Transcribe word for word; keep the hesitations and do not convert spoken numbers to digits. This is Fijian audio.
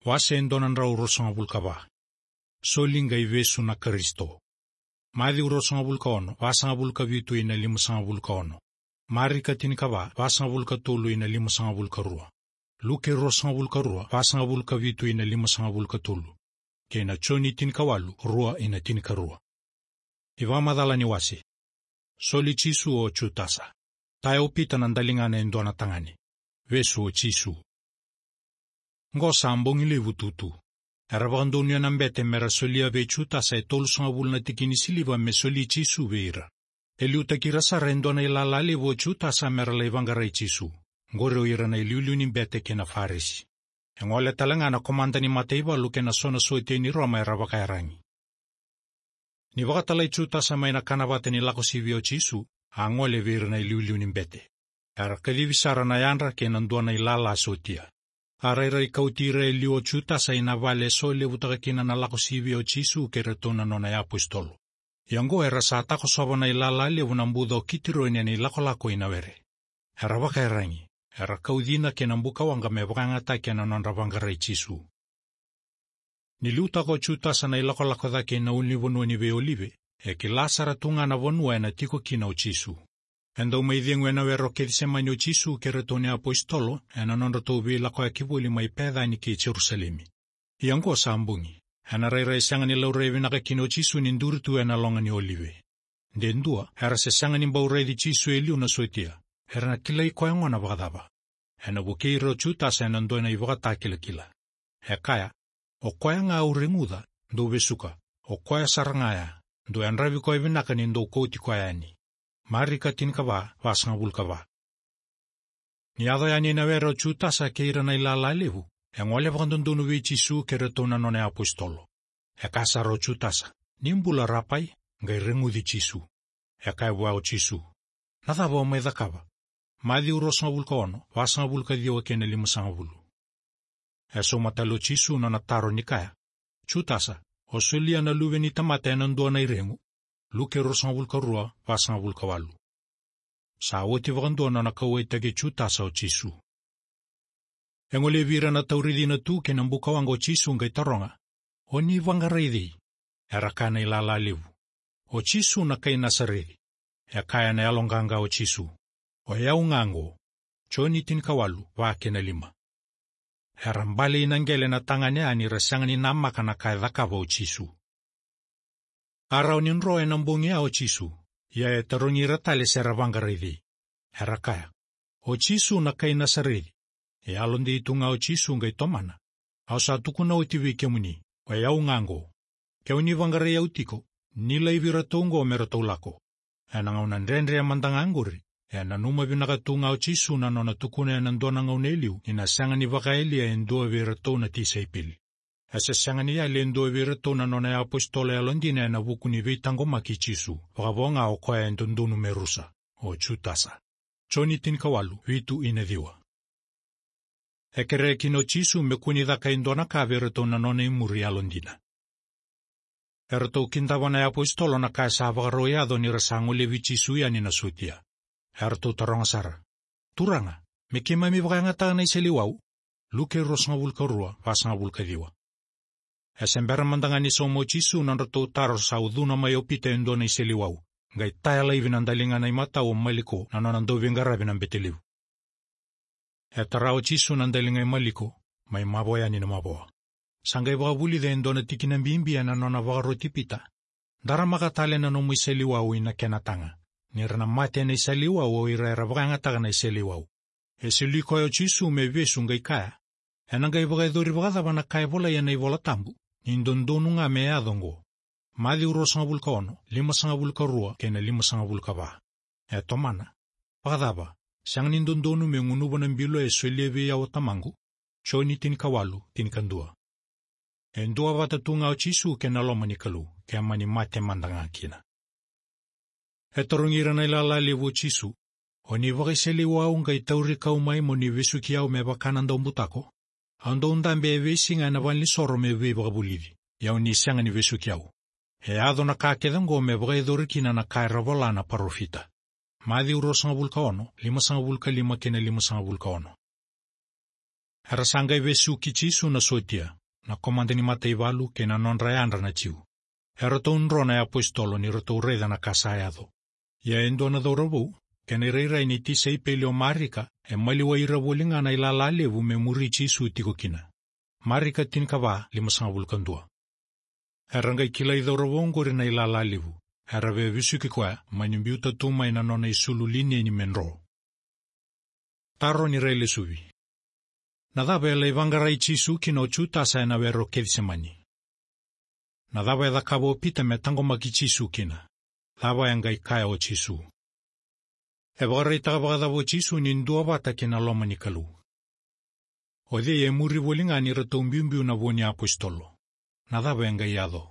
Wase e dua na drau ruasagavulu ka va. Soli qai vesu na Karisito. Maciu ruasagavulu ka ono, vasagavulu ka vitu ina limasagavulu ka ono. Marika tinikava, vasagavulu ka tolu ina limasagavulu ka rua. Luke ruasagavulu ka rua, vasagavulu ka vitu ina limasagavulu ka tolu. Kei na Joni tinikawalu, rua ina tinikarua. iVakamacala ni wase. Soli Jisu o Jutasa. Taya o Pita na daligana e dua na tagane. Vesu o Jisu. Qo sa bogi levu tutu. Era vakadonuya na bete mera solia vei Jutasa e tolusagavulu na tikini siliva me soli Jisu vei ira. E liutaki ira sara e dua na ilala levu o Jutasa mera lai vaqarai Jisu. Qori o ira na iliuliu ni bete kei na Farisi. E gole tale ga na komada ni mataivalu kei na so na sotia ni Roma era vakayaragi. Ni vakatalai Jutasa mai na kanavata ni Lakosivia o Jisu, a gole vei ira na iliuliu ni bete. Era kacivi sara na yadra kei na dua na ilala sotia. A rairai kauti ira e liu o Jutasa ina vale e solevutaka kina na Lakosivia o Jisu kei iratou na nona iapositolo. Ia oqo era sa takosova na ilala levu na buca o Kitironi ena ilakolako i Nawere. Era vakayaragi, era kau cina kei na bukawaqa me vakayagataki ena nodra vaqarai Jisu. Ni liutaka o Jutasa na ilakolako cake ina ulunivanua ni Veiolive, e kila sara tu ga na vanua ena tiko kina o Jisu. E dau mai cegu e Nawere o Kecisemani o Jisu kei iratou na iapositolo, ena nodratou veilakoyaki voli mai Pecani kei Jerusalemi. Ia oqo sa bogi, ena rairai sega ni laurai vinaka kina o Jisu ni duri tu ena loga ni Olive. De dua, era se sega ni bau raici Jisu e liu na sotia, era na kilai koya gona vakacava. Ena vukei ira o Jutasa ena dua na ivakatakilakila. E kaya, o koya ga au reguca, dou vesuka, o koya sara ga ya, dou yadravi koya vinaka ni dou kauti koya yani. Marika tinikava, vasagavulu ka va. Ni yaco yani e Nawere o Jutasa kei ira na ilala levu, e gole vakadodonu vei Jisu kei iratou na nona iapositolo. E kaya sara o Jutasa, ni bula Rapai, qai reguci Jisu. E kaya vua o Jisu, na cava o mai cakava? Maciu ruasagavulu ka ono, vasagavulu ka ciwa kei na limasagavulu. E sauma tale o Jisu nona taro ni kaya, Jutasa, o solia na Luve ni tamata ena dua na iregu? Luke ruasagavulu ka rua, vasagavulu ka walu. Sa oti vakadua nona kauwaitaki Jutasa o Jisu. E golevi ira na tauri cina tu kei na bukawaqa o Jisu qai taroga, o ni vaqarai cei? Era kaya na ilala levu, o Jisu na kai Nasareci. E kaya ena yaloqaqa o Jisu, o yau ga oqo. Joni tinikawalu, va kei na lima. Era bale ina qele na tagane ya ni ra sega ni namaka na ka e cakava o Jisu. A rawa ni dro ena bogi ya o Jisu, ia e tarogi ira tale se ra vaqarai cei. Era kaya, o Jisu na kai Nasareci. E yalodei tu ga o Jisu qai tomana, au sa tukuna oti vei kemuni, o yau ga oqo. Ke o ni vaqarai au tiko, ni laivi iratou oqo me ratou lako. Ena gauna dredre mada ga oqori, e nanuma vinaka tu ga o Jisu na nona tukuna ena dua na gauna e liu ni na sega ni vakayalia e dua vei iratou na tisaipeli. E se sega ni yali e dua vei iratou na nona iapositolo yalodina ena vuku ni veitaqomaki i Jisu, vakavo ga o koya e dodonu me rusa, o Jutasa. Joni tinikawalu, vitu ina ciwa. E kerea kina o Jisu me kua ni caka e dua na ka vei iratou na nona imuri yalodina. Eratou kidava na iapositolo na ka e sa vakarau yaco ni ra sa golevi Jisu yani na sotia. Eratou taroga sara, Turaga, me keimami vakayagataka na iseleiwau? Luke ruasagavulu ka rua, vasagavulu ka ciwa. E se bera mada ga ni sauma o Jisu na nodratou taro sa ucuna mai o Pita e dua na iseleiwau, qai taya laivi na daligana i matau o Maliko na nona dauveiqaravi na bete levu. E tara o Jisu na daliga i Maliko, mai mavoa yani na mavoa. Sa qai vakavulica e dua na tikina bibi ena nona vakaroti Pita, daramaka tale na nomu iseleiwau ina kena taga, ni ra na mate ena iseleiwau o ira era vakayagataka na iseleiwau. E soli koya o Jisu me vesu qai kaya, ena qai vakayacori vakacava na ka e volai ena iVola Tabu, ni dodonu ga me yaco oqo? Maciu ruasagavulu ka ono, limasagavulu ka rua kei na limasagavulu ka va. E tomana, vakacava, sega ni dodonu me gunuva na bilo e solia vei au o Tamaqu? Joni tinikawalu, tinikadua. E duavata tu ga o Jisu kei na loma ni Kalou, ke mani mate mada ga kina. E tarogi ira na ilala levu o Jisu, o ni vakaiseleiwau qai tauri kau mai mo ni vesuki au me vaka na daubutako? Au dau dabe e veisiga ena valenisoro me veivakavulici, ia o ni sega ni vesuki au. E yaco na ka kece oqo me vakayacori kina na ka era vola na parofita. Maciu ruasagavulu ka ono, limasagavulu ka lima kei na limasagavulu ka ono. Era sa qai vesuki Jisu na sotia, na komada ni mataivalu kei na nodra yadra na Jiu. Eratou dro na iapositolo ni ratou raica na ka sa yaco. Ia e dua na cauravou, kei na irairai ni tisaipeli o Marika, e maliwai ira voli ga na ilala levu me muri Jisu tiko kina. Marika tinikava, limasagavulu ka dua. Era qai kilai cauravou oqori na ilala levu. Era via vesuki koya, mani biuta tu mai na nona isulu lineni me dro. Taro ni railesuvi. Na cava e lai vaqarai Jisu kina o Jutasa ena were o Kecisemani? Na cava e cakava o Pita me taqomaki Jisu kina? Cava e qai kaya o Jisu? E vakaraitaka vakacava o Jisu ni duavata kei na loma ni Kalou? O cei e muri voli ga ni ratou biubiu na vo ni apositolo? Na cava e qai yaco?